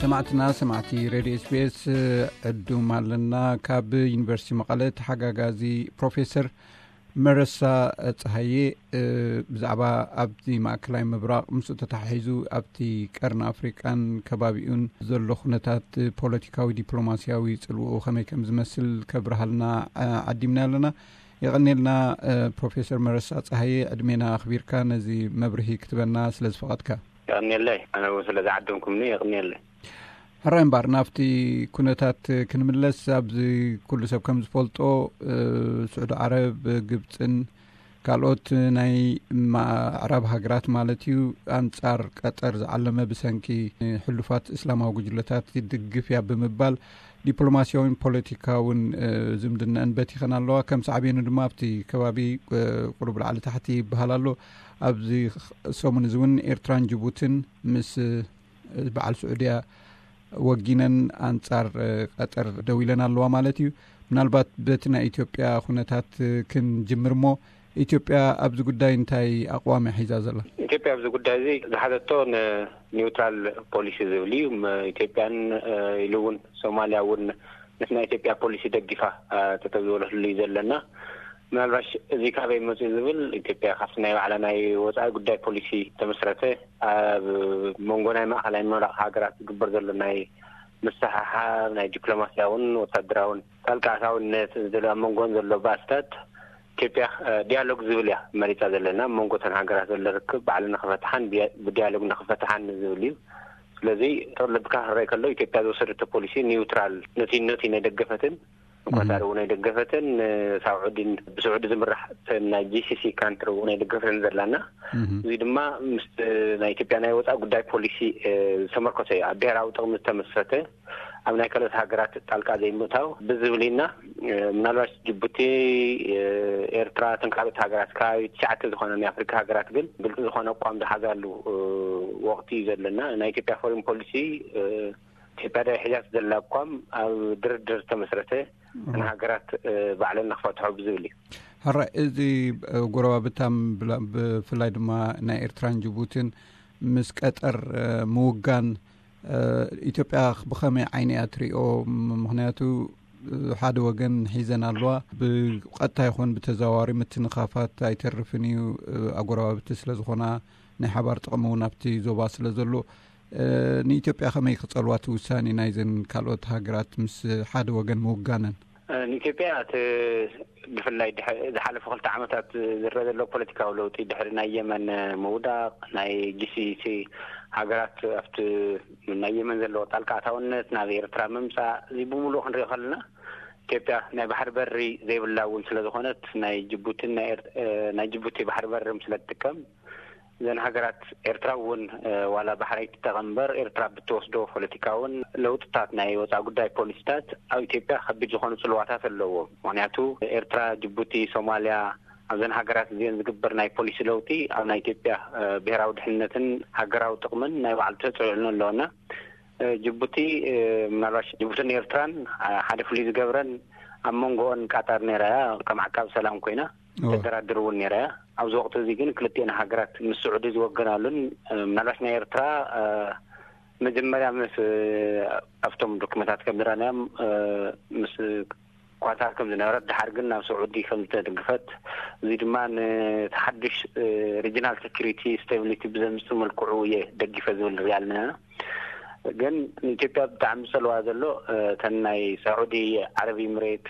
ሰማዕትና ሰማዕቲ ሬድዮ ኤስቢኤስ ዕዱም ኣለና። ካብ ዩኒቨርሲቲ መቐለ ተሓጋጋዚ ፕሮፌሰር መረሳ ፀሃየ ብዛዕባ ኣብቲ ማእከላይ ምብራቕ ምስኡ ተተሓሒዙ ኣብቲ ቀርኒ ኣፍሪቃን ከባቢኡን ዘሎ ኩነታት ፖለቲካዊ ዲፕሎማሲያዊ ፅልውኡ ከመይ ከም ዝመስል ከብርሃልና ዓዲምና ኣለና። የቐኔልና። ፕሮፌሰር መረሳ ፀሃየ ዕድሜና ኣኽቢርካ ነዚ መብርሂ ክትበና ስለ ዝፈቐድካ። የቐኔለይ። ኣነ እውን ስለ ዝዓደምኩምኒ የቐኔለይ። ሕራይ እምበር ናብቲ ኩነታት ክንምለስ፣ ኣብዚ ኩሉ ሰብ ከም ዝፈልጦ ስዑዲ ዓረብ፣ ግብፅን ካልኦት ናይ ማዕራብ ሃገራት ማለት እዩ ኣንፃር ቀጠር ዝዓለመ ብሰንኪ ሕሉፋት እስላማዊ ጉጅለታት ይድግፍ እያ ብምባል ዲፕሎማሲያውን ፖለቲካውን ዝምድነአን በቲኸን ኣለዋ። ከም ሳዕቤኑ ድማ ኣብቲ ከባቢ ቁሩብ ላዕሊ ታሕቲ ይበሃል ኣሎ። ኣብዚ ሰሙን እዚ እውን ኤርትራን ጅቡትን ምስ በዓል ስዑድያ ወጊነን ኣንጻር ቀጠር ደው ኢለን ኣለዋ ማለት እዩ። ምናልባት በቲ ናይ ኢትዮጵያ ኩነታት ክንጅምር እሞ፣ ኢትዮጵያ ኣብዚ ጉዳይ እንታይ ኣቕዋም እያ ሒዛ ዘላ? ኢትዮጵያ ኣብዚ ጉዳይ እዚ ዝሓዘቶ ንኒውትራል ፖሊሲ ዝብል እዩ። ኢትዮጵያን ኢሉ እውን ሶማልያ እውን ነቲ ናይ ኢትዮጵያ ፖሊሲ ደጊፋ ተተብዝበለትሉ እዩ ዘለና። ምናልባሽ እዚ ካበይ መፅኡ ዝብል፣ ኢትዮጵያ ካብቲ ናይ ባዕላ ናይ ወፃኢ ጉዳይ ፖሊሲ ተመስረተ ኣብ መንጎ ናይ ማእኸላይ ምብራቕ ሃገራት ዝግበር ዘሎ ናይ ምስሕሓብ ናይ ዲፕሎማሲያውን ወታደራውን ጣልቃ ኣታውነት ዘሎ ኣብ መንጎን ዘሎ ባእስታት ኢትዮጵያ ዲያሎግ ዝብል እያ መሪፃ ዘለና። ኣብ መንጎ እተን ሃገራት ዘሎ ርክብ ባዕሉ ንክፈትሓን ብዲያሎግ ንክፈትሓን ዝብል እዩ። ስለዚ ተወለድካ ክረይ ከሎ ኢትዮጵያ ዝወሰደቶ ፖሊሲ ኒውትራል ነቲ ነቲ ናይ ደገፈትን ኳታር እውን ኣይደገፈትን፣ ሳዑዲን ብስዑዲ ዝምራሕ ናይ ጂሲሲ ካንትሪ እውን ኣይደገፈትን ዘላና። እዚ ድማ ምስ ናይ ኢትዮጵያ ናይ ወፃኢ ጉዳይ ፖሊሲ ዝተመርኮሰ እዩ። ኣብ ብሔራዊ ጥቕሚ ዝተመስረተ፣ ኣብ ናይ ካልኦት ሃገራት ጣልቃ ዘይምእታው ብዝብል ኢና። ምናልባት ጅቡቲ፣ ኤርትራ፣ እተን ካልኦት ሃገራት ከባቢ ትሽዓተ ዝኾነ ናይ ኣፍሪካ ሃገራት ግን ግልፂ ዝኾነ ኣቋም ዝሓዛሉ ወቕቲ እዩ ዘለና። ናይ ኢትዮጵያ ፎሪን ፖሊሲ ኢትዮጵያ ዳይ ሕጃት ዘላ ኣቋም ኣብ ድርድር ዝተመስረተ ንሃገራት ባዕለን ንክፈትሖ ብዝብል እዩ። ሕራይ፣ እዚ ጎረባብታም ብፍላይ ድማ ናይ ኤርትራን ጅቡትን ምስ ቀጠር ምውጋን ኢትዮጵያ ብኸመይ ዓይኒ እያ ትሪኦ? ምክንያቱ ሓደ ወገን ሒዘን ኣለዋ። ብቐጥታ ይኹን ብተዘዋዋሪ ምትንኻፋት ኣይተርፍን እዩ፣ ኣጎረባብቲ ስለ ዝኾና፣ ናይ ሓባር ጥቕሚ እውን ኣብቲ ዞባ ስለ ዘሎ። ንኢትዮጵያ ከመይ ክጸልዋ እቲ ውሳኔ ናይዘን ካልኦት ሃገራት ምስ ሓደ ወገን ምውጋነን? ንኢትዮጵያ እቲ ብፍላይ ዝሓለፉ ክልተ ዓመታት ዝረአ ዘሎ ፖለቲካዊ ለውጢ፣ ድሕሪ ናይ የመን ምውዳቕ፣ ናይ ጂሲሲ ሃገራት ኣብቲ ናይ የመን ዘለዎ ጣልቃ ኣታውነት ናብ ኤርትራ ምምፃእ፣ እዚ ብምሉእ ክንሪኦ ከለና ኢትዮጵያ ናይ ባሕሪ በሪ ዘይብላ እውን ስለ ዝኾነት፣ ናይ ጅቡቲን ናይ ጅቡቲ ባሕሪ በሪ ስለ ትጥቀም፣ እዘን ሃገራት፣ ኤርትራ እውን ዋላ ባሕሪ ኣይትጠቐም እምበር፣ ኤርትራ ብትወስዶ ፖለቲካውን ለውጥታት ናይ ወፃኢ ጉዳይ ፖሊሲታት ኣብ ኢትዮጵያ ከቢድ ዝኾኑ ፅልዋታት ኣለዎ። ምክንያቱ ኤርትራ፣ ጅቡቲ፣ ሶማልያ፣ ኣብዘን ሃገራት እዚአን ዝግበር ናይ ፖሊሲ ለውጢ ኣብ ናይ ኢትዮጵያ ብሔራዊ ድሕንነትን ሃገራዊ ጥቕምን ናይ ባዕሉ ተፅዕኖ ኣለዎ። ጅቡቲ፣ ምናልባት ጅቡትን ኤርትራን ሓደ ፍሉይ ዝገብረን፣ ኣብ መንጎኦን ቃጣር ነይራ እያ፣ ከም ዓቃብ ሰላም ኮይና ተደራድር እውን ነይራ እያ። ኣብዚ ወቕቲ እዚ ግን ክልቲኤን ሃገራት ምስ ስዑዲ ዝወገናሉን፣ ምናልባት ናይ ኤርትራ መጀመርያ ምስ ኣብቶም ዶክመንታት ከም ዝረኣናዮም ምስ ኳታር ከም ዝነበረት፣ ድሓር ግን ናብ ስዑዲ ከም ዝተደግፈት፣ እዚ ድማ ንተሓድሽ ሪጅናል ሴኩሪቲ ስታቢሊቲ ብዘምፅእ መልክዑ እየ ደጊፈ ዝብል ንሪኣ ኣለና። ግን ንኢትዮጵያ ብጣዕሚ ዝፀልዋ ዘሎ እተን ናይ ሳዑዲ ዓረብ ኢምሬት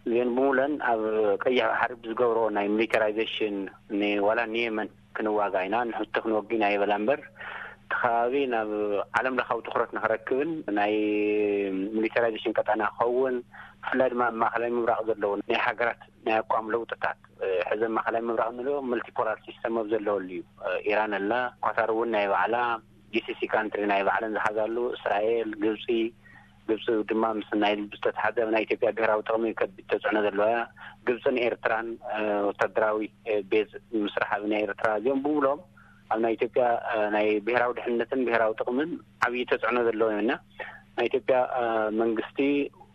እዚአን ብምለን ኣብ ቀይሕ ባሕሪ ብዝገብሮ ናይ ሚሊታራይዜሽን ንዋላ ንየመን ክንዋጋ ኢና፣ ንሕቲ ክንወግ ኢና ይበላ እምበር፣ እቲ ከባቢ ናብ ዓለም ለኻዊ ትኩረት ንክረክብን ናይ ሚሊታራይዜሽን ቀጠና ክኸውን፣ ብፍላይ ድማ ኣብ ማእከላይ ምብራቕ ዘለዉ ናይ ሃገራት ናይ ኣቋም ለውጥታት ሕዘ ማእከላይ ምብራቕ ንሪኦ፣ መልቲፖላር ሲስተም ኣብ ዘለወሉ እዩ። ኢራን ኣላ፣ ኳታር እውን ናይ ባዕላ፣ ጂሲሲ ካንትሪ ናይ ባዕለን ዝሓዛሉ፣ እስራኤል፣ ግብፂ፣ ግብፂ ድማ ምስ ናይ ዝተተሓዘ ናይ ኢትዮጵያ ብሔራዊ ጥቕሚ ከቢድ ተፅዕኖ ዘለዋ እያ። ግብፅን ኤርትራን ወታደራዊ ቤዝ ምስራሕ ኣብ ናይ ኤርትራ፣ እዚኦም ብምሎም ኣብ ናይ ኢትዮጵያ ናይ ብሔራዊ ድሕንነትን ብሔራዊ ጥቕምን ዓብዪ ተፅዕኖ ዘለዎም እዮም። እና ናይ ኢትዮጵያ መንግስቲ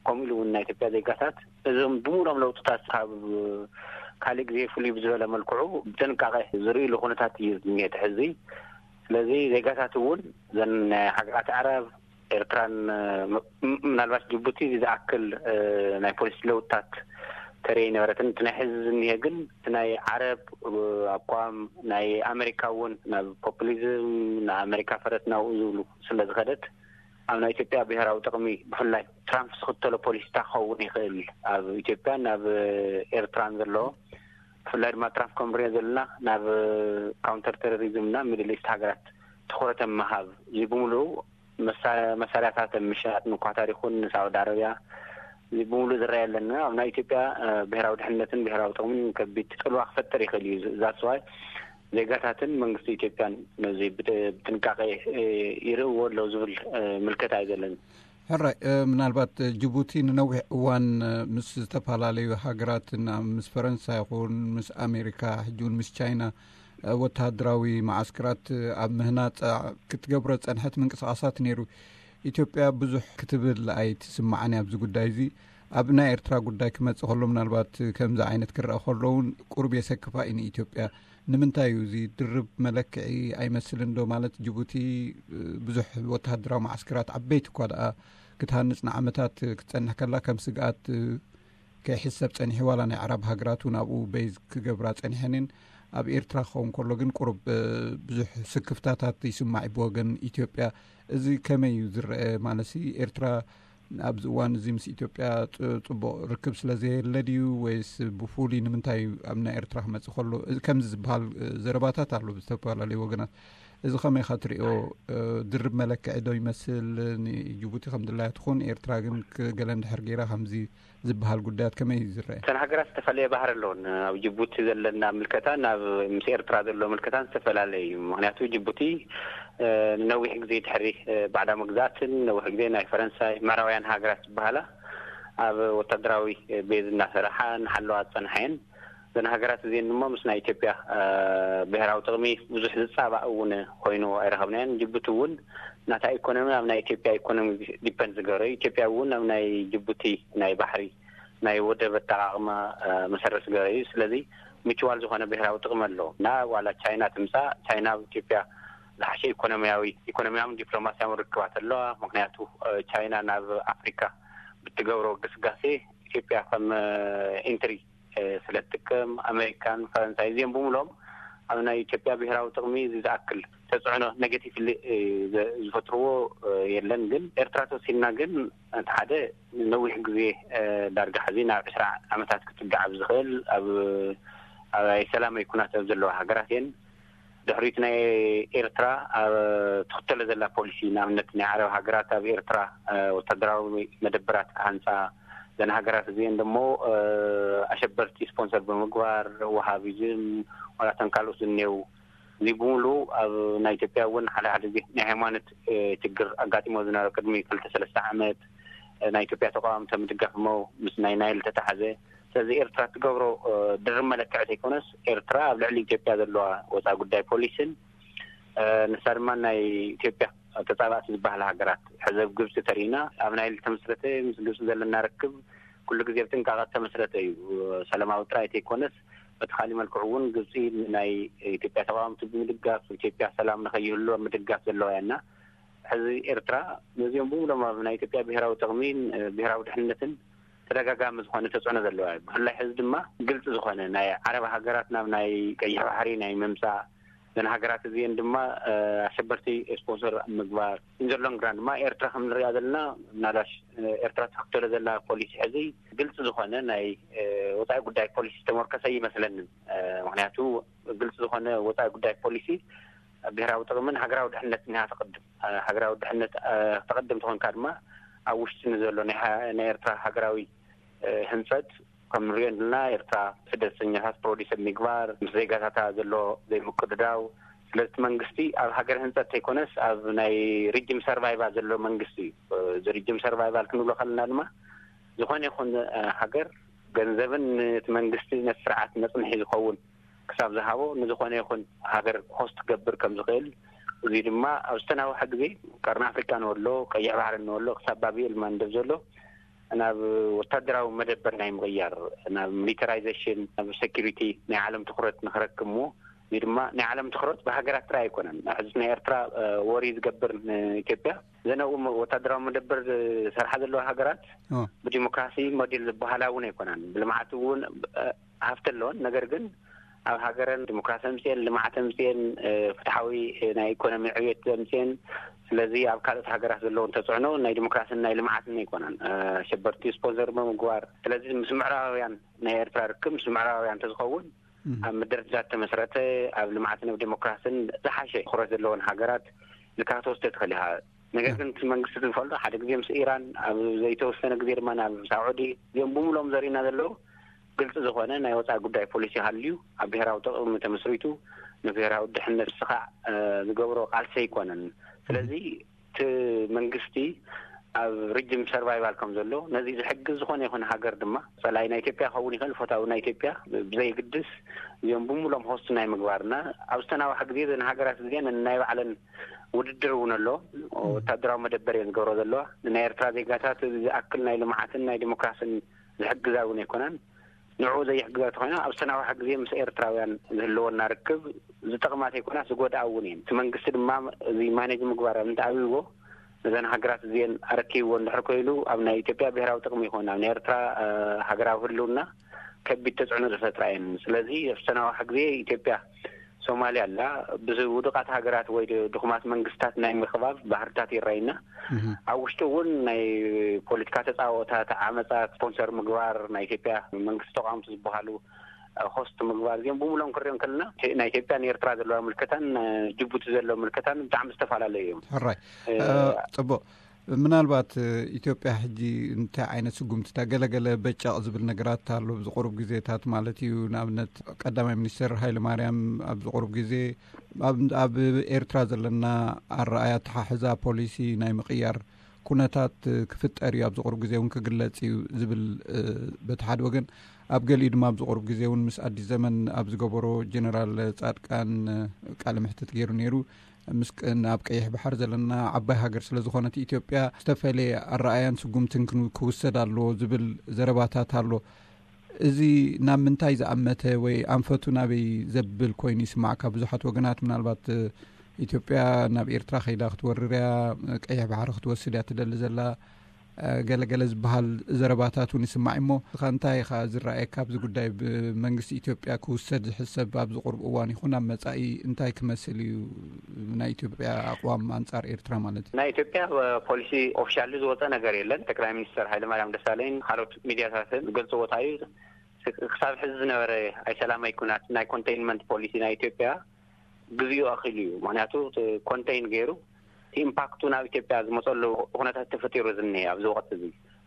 ከምኡ ኢሉ እውን ናይ ኢትዮጵያ ዜጋታት እዞም ብምሎም ለውጥታት ካብ ካልእ ግዜ ፍሉይ ብዝበለ መልክዑ ብጥንቃቐ ዝርእይሉ ኩነታት እዩ ዝኒኤ እቲ ሕዚ። ስለዚ ዜጋታት እውን እዘን ናይ ሃገራት ዓረብ፣ ኤርትራን ም- ምናልባት ጅቡቲ ዝኣክል ናይ ፖሊሲ ለውጥታት ተርኢ ነበረትን። እቲ ናይ ሕዚ ዝኒሀ ግን እቲ ናይ ዓረብ ኣቋም፣ ናይ ኣሜሪካ እውን ናብ ፖፑሊዝም፣ ንኣሜሪካ ፈረስ ናብኡ ዝብሉ ስለ ዝኸደት፣ ኣብ ናይ ኢትዮጵያ ብሔራዊ ጥቕሚ ብፍላይ ትራምፕ ዝኽተሎ ፖሊሲታ ክኸውን ይኽእል ኣብ ኢትዮጵያን ኣብ ኤርትራን ዘሎ። ብፍላይ ድማ ትራምፕ ከም ንሪኦ ዘለና ናብ ካውንተር ቴሮሪዝም እና ሚድል ኢስት ሃገራት ትኹረት ምሃብ፣ እዚ ብምሉኡ መሳርያታት ምሻጥ ንኳታር ይኹን ንሳዑዲ ዓረብያ፣ እዚ ብምሉእ ዝረኣየለና ኣብ ናይ ኢትዮጵያ ብሔራዊ ድሕነትን ብሔራዊ ጥቕምን ከቢድ ጽልዋ ክፈጥር ይኽእል እዩ። ዛስዋይ ዜጋታትን መንግስቲ ኢትዮጵያን ነዚ ብጥንቃቄ ይርእዎ ኣለዉ ዝብል ምልከታ እዩ ዘለኒ። ሕራይ፣ ምናልባት ጅቡቲ ንነዊሕ እዋን ምስ ዝተፈላለዩ ሃገራት፣ ምስ ፈረንሳ ይኹን ምስ ኣሜሪካ፣ ሕጂ እውን ምስ ቻይና ወተሃደራዊ መዓስከራት ኣብ ምህናፅ ክትገብሮ ዝፀንሐት ምንቅስቃሳት ነይሩ። ኢትዮጵያ ብዙሕ ክትብል ኣይትስማዓን ኣብዚ ጉዳይ እዚ። ኣብ ናይ ኤርትራ ጉዳይ ክመፅእ ከሎ፣ ምናልባት ከምዚ ዓይነት ክረአ ከሎ እውን ቁሩብ የሰክፋ እዩ ንኢትዮጵያ። ንምንታይ እዩ እዚ ድርብ መለክዒ ኣይመስልን ዶ? ማለት ጅቡቲ ብዙሕ ወተሃደራዊ መዓስከራት ዓበይቲ እኳ ደኣ ክትሃንፅ ንዓመታት ክትፀንሕ ከላ ከም ስግኣት ከይሕሰብ ፀኒሑ፣ ዋላ ናይ ዓራብ ሃገራት እውን ኣብኡ በይዝ ክገብራ ፀኒሐንን። ኣብ ኤርትራ ክኸውን ከሎ ግን ቁሩብ ብዙሕ ስክፍታታት ይስማዕ እዩ ብወገን ኢትዮጵያ። እዚ ከመይ እዩ ዝረአ? ማለትሲ ኤርትራ ኣብዚ እዋን እዚ ምስ ኢትዮጵያ ጽቡቕ ርክብ ስለ ዘየለ ድዩ ወይስ ብፍሉይ ንምንታይ ኣብ ናይ ኤርትራ ክመጽእ ከሎ እዚ ከምዚ ዝበሃል ዘረባታት ኣሎ ብዝተፈላለዩ ወገናት? እዚ ከመይ ኢኻ ትሪኦ? ድርብ መለክዒ ዶ ይመስል? ንጅቡቲ ከም ድላያ ትኹን፣ ኤርትራ ግን ገለ እንድሕር ገይራ ከምዚ ዝበሃል ጉዳያት ከመይ እዩ ዝረአ? እተን ሃገራት ዝተፈላለየ ባህሪ ኣለዎን። ኣብ ጅቡቲ ዘለና ምልከታ ናብ ምስ ኤርትራ ዘሎ ምልከታን ዝተፈላለየ እዩ። ምክንያቱ ጅቡቲ ንነዊሕ ግዜ ድሕሪ ባዕዳ መግዛእትን ነዊሕ ግዜ ናይ ፈረንሳይ ምዕራባውያን ሃገራት ዝበሃላ ኣብ ወታደራዊ ቤዝ እናሰራሓ እናሓለዋ ዝፀንሓ እየን። እዘን ሃገራት እዚአን ድማ ምስ ናይ ኢትዮጵያ ብሔራዊ ጥቕሚ ብዙሕ ዝፃባእ እውን ኮይኑ ኣይረኸብናዮን። ጅቡቲ እውን ናታ ኢኮኖሚ ኣብ ናይ ኢትዮጵያ ኢኮኖሚ ዲፐንድ ዝገበረ እዩ። ኢትዮጵያ እውን ኣብ ናይ ጅቡቲ ናይ ባሕሪ ናይ ወደብ ኣጠቃቅማ መሰረት ዝገበረ እዩ። ስለዚ ምችዋል ዝኾነ ብሔራዊ ጥቕሚ ኣለዎ እና ዋላ ቻይና ትምፃእ፣ ቻይና ኣብ ኢትዮጵያ ዝሓሸ ኢኮኖሚያዊ ኢኮኖሚያውን ዲፕሎማሲያውን ርክባት ኣለዋ። ምክንያቱ ቻይና ናብ ኣፍሪካ ብትገብሮ ግስጋሴ ኢትዮጵያ ከም ኢንትሪ ስለ ትጥቀም፣ ኣሜሪካን ፈረንሳይ እዚኦም ብምሎም ኣብ ናይ ኢትዮጵያ ብሔራዊ ጥቕሚ እዚ ዝኣክል ተፅዕኖ ኔጌቲቭ ዝፈጥርዎ የለን። ግን ኤርትራ ተወሲድና ግን እቲ ሓደ ነዊሕ ግዜ ዳርጋ ሕዚ ናብ ዕስራ ዓመታት ክፅጋዕ ኣብ ዝኽእል ኣብ ኣብ ሰላማዊ ኩናት ኣብ ዘለዋ ሃገራት እየን። ድሕሪት ናይ ኤርትራ ኣብ ትኽተሎ ዘላ ፖሊሲ ንኣብነት ናይ ዓረብ ሃገራት ኣብ ኤርትራ ወታደራዊ መደበራት ክሃንፃ፣ ዘን ሃገራት እዚአን ደሞ ኣሸበርቲ ስፖንሰር ብምግባር፣ ወሃቢዝም ዋላ ተን ካልኦት ዝኔው እዚ ብምሉ ኣብ ናይ ኢትዮጵያ እውን ሓደ ሓደ ግዜ ናይ ሃይማኖት ችግር ኣጋጢሞ ዝነበረ ቅድሚ ክልተ ሰለስተ ዓመት ናይ ኢትዮጵያ ተቃዋምቲ ምድጋፍ እሞ ምስ ናይ ናይል ተታሓዘ። ስለዚ ኤርትራ ትገብሮ ድርብ መለክዒ ዘይኮነስ ኤርትራ ኣብ ልዕሊ ኢትዮጵያ ዘለዋ ወፃኢ ጉዳይ ፖሊስን ንሳ ድማ ናይ ኢትዮጵያ ተፃባእቲ ዝበሃላ ሃገራት ሕዘብ ግብፂ ተሪእና ኣብ ናይል ተመስረተ ምስ ግብፂ ዘለና ርክብ ኩሉ ግዜ ብጥንቃቐ ተመስረተ እዩ። ሰላማዊ ጥራይ ተይኮነስ በቲ ካሊእ መልክዑ እውን ግብፂ ናይ ኢትዮጵያ ተቃወምቲ ብምድጋፍ ኢትዮጵያ ሰላም ንኸይህሉ ኣብ ምድጋፍ ዘለዋ እያ እና ሕዚ ኤርትራ ነዚኦም ብምሎም ኣብ ናይ ኢትዮጵያ ብሔራዊ ጥቕሚን ብሔራዊ ድሕነትን ተደጋጋሚ ዝኾነ ተፅዕኖ ዘለዋ እዩ። ብፍላይ ሕዚ ድማ ግልፂ ዝኾነ ናይ ዓረብ ሃገራት ናብ ናይ ቀይሕ ባሕሪ ናይ ምምፃእ ዘን ሃገራት እዚአን ድማ ኣሸበርቲ ስፖንሰር ምግባር ኢንዘሎንግራን ድማ ኤርትራ ከም ንሪኣ ዘለና ምናልባሽ ኤርትራ ትኽተሎ ዘላ ፖሊሲ ሕዚ ግልፂ ዝኾነ ናይ ወፃኢ ጉዳይ ፖሊሲ ዝተመርኮሰ ይመስለንን። ምክንያቱ ግልፂ ዝኾነ ወፃኢ ጉዳይ ፖሊሲ ብሔራዊ ጥቕምን ሃገራዊ ድሕነትን እያ ተቐድም። ሃገራዊ ድሕነት ተቐድም ተኾንካ ድማ ኣብ ውሽጢ ንዘሎ ናይ ኤርትራ ሃገራዊ ህንፀት ከም ንሪኦ ዘለና ኤርትራ ስደተኛታት ፕሮዲስ ኣብ ምግባር ምስ ዜጋታታ ዘሎ ዘይምቅድዳው። ስለዚ እቲ መንግስቲ ኣብ ሃገር ህንፀት ተይኮነስ ኣብ ናይ ሪጅም ሰርቫይቫል ዘሎ መንግስቲ እዩ። እዚ ሪጅም ሰርቫይቫል ክንብሎ ከለና ድማ ዝኾነ ይኹን ሃገር ገንዘብን ነቲ መንግስቲ ነቲ ስርዓት መፅንሒ ዝኸውን ክሳብ ዝሃቦ ንዝኾነ ይኹን ሃገር ሆስት ክገብር ከም ዝኽእል፣ እዚ ድማ ኣብ ዝተናውሐ ግዜ ቀርኒ ኣፍሪካ ንወሎ፣ ቀይሕ ባሕሪ ንወሎ ክሳብ ባብኤል ማንደብ ዘሎ ናብ ወታደራዊ መደበር ናይ ምቕያር ናብ ሚሊተራይዜሽን ናብ ሴኪሪቲ ናይ ዓለም ትኩረት ንክረክብ እሞ እዚ ድማ ናይ ዓለም ትኹረት ብሃገራት ጥራይ ኣይኮነን። ሕዚ ናይ ኤርትራ ወሪ ዝገብር ንኢትዮጵያ ዘነኡ ወታደራዊ መደበር ዝሰርሓ ዘለዋ ሃገራት ብዲሞክራሲ ሞዴል ዝበሃላ እውን ኣይኮናን። ብልምዓት እውን ሃፍቲ ኣለዎን፣ ነገር ግን ኣብ ሃገረን ዲሞክራሲ ኣምፅኤን፣ ልምዓት ኣምፅኤን፣ ፍትሓዊ ናይ ኢኮኖሚ ዕብየት ኣምፅኤን፣ ስለዚ ኣብ ካልኦት ሃገራት ዘለውን ተፅዕኖ ናይ ዲሞክራሲን ናይ ልምዓትን ኣይኮናን። ኣሸበርቲ ስፖንሰር ብምግባር፣ ስለዚ ምስ ምዕራባውያን ናይ ኤርትራ ርክብ ምስ ምዕራባውያን እንተዝኸውን ኣብ ምድርዳር ተመስረተ፣ ኣብ ልምዓትን ኣብ ዴሞክራሲን ዝሓሸ ትኹረት ዘለዎን ሃገራት ኢልካ ክትወስዶ ትኽእል ኢኻ። ነገር ግን እቲ መንግስቲ ዝፈልጦ ሓደ ግዜ ምስ ኢራን፣ ኣብ ዘይተወሰነ ግዜ ድማ ናብ ሳዑዲ፣ እዚኦም ብምሎም ዘርእና ዘለዉ ግልፂ ዝኾነ ናይ ወፃኢ ጉዳይ ፖሊሲ ሃልዩ ኣብ ብሔራዊ ጥቕሚ ተመስሪቱ ንብሔራዊ ድሕነት ስኻዕ ዝገብሮ ቃልሲ ኣይኮነን። ስለዚ እቲ መንግስቲ ኣብ ሪጅም ሰርቫይቫል ከም ዘሎ ነዚ ዝሕግዝ ዝኾነ ይኹን ሃገር ድማ ፀላኢ ናይ ኢትዮጵያ ክኸውን ይኽእል፣ ፈታዊ ናይ ኢትዮጵያ ብዘይግድስ እዚኦም ብምሎም ሆስት ናይ ምግባርና ኣብ ዝተናዋሐ ግዜ ዘን ሃገራት እዚአን ናይ ባዕለን ውድድር እውን ኣሎ። ወታደራዊ መደበር እየን ዝገብሮ ዘለዋ። ንናይ ኤርትራ ዜጋታት ዝኣክል ናይ ልምዓትን ናይ ዲሞክራሲን ዝሕግዛ እውን ኣይኮናን። ንዕኡ ዘይሕግዛ ተኮይና ኣብ ዝተናዋሐ ግዜ ምስ ኤርትራውያን ዝህልወና ርክብ ዝጠቕማ ዘይኮናስ ዝጎድኣ እውን እየን። እቲ መንግስቲ ድማ እዚ ማኔጅ ምግባር ኣብ እንተኣብይዎ ነዘን ሃገራት እዚአን ኣረኪብዎ እንድሕር ኮይኑ ኣብ ናይ ኢትዮጵያ ብሔራዊ ጥቕሚ ይኹን ኣብ ናይ ኤርትራ ሃገራዊ ህልውና ከቢድ ተፅዕኖ ዝፈጥራ እየን። ስለዚ ኣብ ዝተናዋሐ ግዜ ኢትዮጵያ ሶማልያ ኣላ ብውዱቃት ሃገራት ወይ ድኹማት መንግስታት ናይ ምኽባብ ባህርታት ይረኣይና። ኣብ ውሽጡ እውን ናይ ፖለቲካ ተፃወታት ዓመፃት ስፖንሰር ምግባር ናይ ኢትዮጵያ መንግስቲ ተቋምቲ ዝበሃሉ ሆስት ምግባር እዚኦም ብምሎም ክሪኦም ከለና ናይ ኢትዮጵያ ንኤርትራ ዘለዋ ምልከታን ጅቡቲ ዘለዋ ምልከታን ብጣዕሚ ዝተፈላለዩ እዮም። ሕራይ ፅቡቅ። ምናልባት ኢትዮጵያ ሕጂ እንታይ ዓይነት ስጉምትታ ገለገለ በጫቕ ዝብል ነገራት ኣሎ ኣብዚ ቁሩብ ግዜታት ማለት እዩ። ንኣብነት ቀዳማይ ሚኒስትር ሃይለ ማርያም ኣብዚ ቁሩብ ግዜ ኣብ ኤርትራ ዘለና ኣረኣያ ተሓሕዛ ፖሊሲ ናይ ምቕያር ኩነታት ክፍጠር እዩ ኣብዚ ቁሩብ ግዜ እውን ክግለጽ እዩ ዝብል በቲ ሓደ ወገን፣ ኣብ ገሊኡ ድማ ኣብዚ ቁሩብ ግዜ እውን ምስ ኣዲስ ዘመን ኣብ ዝገበሮ ጀነራል ጻድቃን ቃለ መሕትት ገይሩ ነይሩ። ምስ ናብ ቀይሕ ባሕሪ ዘለና ዓባይ ሃገር ስለ ዝኾነት ኢትዮጵያ ዝተፈለየ ኣረኣያን ስጉምትን ክውሰድ ኣለዎ ዝብል ዘረባታት ኣሎ። እዚ ናብ ምንታይ ዝኣመተ ወይ ኣንፈቱ ናበይ ዘብል ኮይኑ ይስማዕካ? ብዙሓት ወገናት ምናልባት ኢትዮጵያ ናብ ኤርትራ ከይዳ ክትወርር እያ፣ ቀይሕ ባሕሪ ክትወስድ እያ ትደሊ ዘላ፣ ገለገለ ዝበሃል ዘረባታት እውን ይስማዕ እሞ፣ ንስኻ እንታይ ኢኻ ዝረኣየካ ኣብዚ ጉዳይ? ብመንግስቲ ኢትዮጵያ ክውሰድ ዝሕሰብ ኣብዚ ቁሩብ እዋን ይኹን ኣብ መጻኢ እንታይ ክመስል እዩ ናይ ኢትዮጵያ ኣቕዋም ኣንጻር ኤርትራ ማለት እዩ? ናይ ኢትዮጵያ ፖሊሲ ኦፊሻሊ ዝወፀ ነገር የለን። ጠቅላይ ሚኒስትር ሃይለማርያም ደሳለኝ ካልኦት ሚዲያታትን ዝገልፅዎ እንታይ እዩ? ክሳብ ሕዚ ዝነበረ ኣይሰላማይ ኩናት ናይ ኮንቴይንመንት ፖሊሲ ናይ ኢትዮጵያ ግዚኡ ኣኺሉ እዩ። ምክንያቱ ኮንቴይን ገይሩ ኢምፓክቱ ናብ ኢትዮጵያ ዝመፀሉ ኩነታት ተፈጢሩ ዝኒሀ ኣብዚ ወቅት እዚ።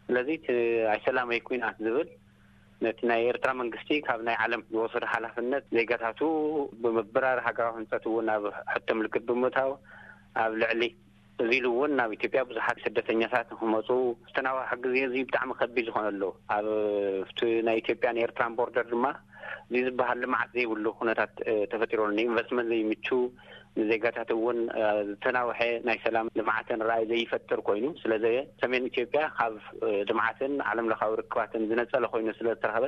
ስለዚ ኣይሰላማይ ኩናት ዝብል ነቲ ናይ ኤርትራ መንግስቲ ካብ ናይ ዓለም ዝወሰዶ ሓላፍነት ዜጋታቱ ብምብራር ሃገራዊ ህንፀት እውን ኣብ ሕቶ ምልክት ብምእታው ኣብ ልዕሊ እዚ ኢሉ እውን ናብ ኢትዮጵያ ብዙሓት ስደተኛታት ንክመፁ ዝተናዋሐ ግዜ እዚ ብጣዕሚ ከቢድ ዝኾነሉ ኣብ ናይ ኢትዮጵያን ኤርትራን ቦርደር ድማ እዚ ዝበሃል ልምዓት ዘይብሉ ኩነታት ተፈጢሩ ኣሎ። ንኢንቨስትመንት ዘይምቹ፣ ንዜጋታት እውን ዝተናውሐ ናይ ሰላም ልምዓትን ራእይ ዘይፈጥር ኮይኑ ስለዘየ ሰሜን ኢትዮጵያ ካብ ልምዓትን ዓለም ለኻዊ ርክባትን ዝነፀለ ኮይኑ ስለዝተረኸበ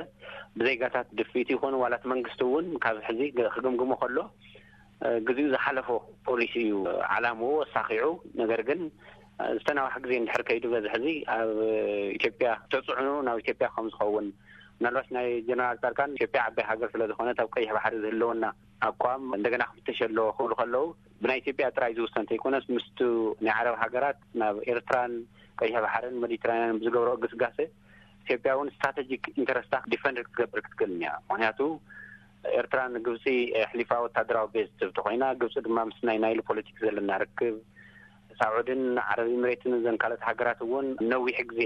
ብዜጋታት ድፍኢት ይኹን ዋላት መንግስቲ እውን ካብ ሕዚ ክግምግሞ ከሎ ግዜኡ ዝሓለፎ ፖሊሲ እዩ ዓላምኡ ኣሳኺዑ። ነገር ግን ዝተናዋሐ ግዜ እንድሕር ከይዱ በዚ ሕዚ ኣብ ኢትዮጵያ ተፅዕኖ ናብ ኢትዮጵያ ከም ዝኸውን ምናልባት ናይ ጀነራል ፃድቃን ኢትዮጵያ ዓባይ ሃገር ስለ ዝኾነት ኣብ ቀይሕ ባሕሪ ዝህልወና ኣቋም እንደገና ክፍተሽ ኣለዎ ክብሉ ከለዉ ብናይ ኢትዮጵያ ጥራይ ዝውሰን ተይኮነስ ምስቱ ናይ ዓረብ ሃገራት ናብ ኤርትራን ቀይሕ ባሕርን መዲትራንያን ብዝገብሮ ግስጋሴ ኢትዮጵያ እውን ስትራቴጂክ ኢንተረስታ ዲፈንድ ክትገብር ክትክእል እያ። ምክንያቱ ኤርትራ ንግብፂ ኣሕሊፋ ወታደራዊ ቤዝ ትህብ ተኮይና ግብፂ ድማ ምስ ናይ ናይል ፖለቲክ ዘለና ርክብ ሳዑድን ዓረብ ኢምሬትን ዘን ካልኦት ሃገራት እውን ነዊሕ ግዜ